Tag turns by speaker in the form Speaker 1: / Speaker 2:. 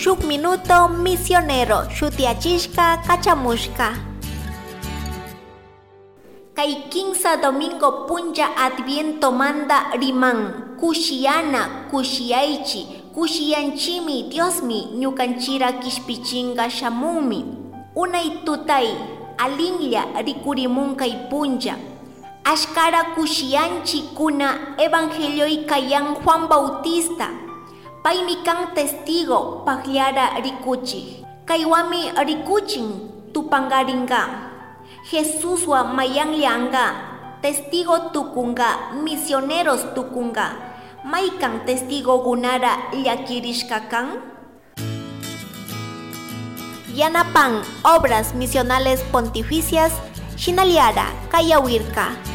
Speaker 1: Shuk Minuto Misionero shutiyachishka kachamushka. Kay kinsa domingo punlla Advientomanta riman kushiyana kushiyaychi kushiyanchimi Diosmi ñukanchira kishpichinga shamunmi. Unay tutay alinlla rikurimun kay punlla. Ashkara kushiyanchi kuna Evangelioy kayan Juan Bautista. Paymi kan testigo pakllara rikuchik. Kaywami rikuchin tupangaringa. Jesuswa mayanllanga testigo tukunga misioneros tukunga. Maykan testigokunara llakirishka kan? Yanapan Obras Misionales Pontificias Shinallara Kayawirka.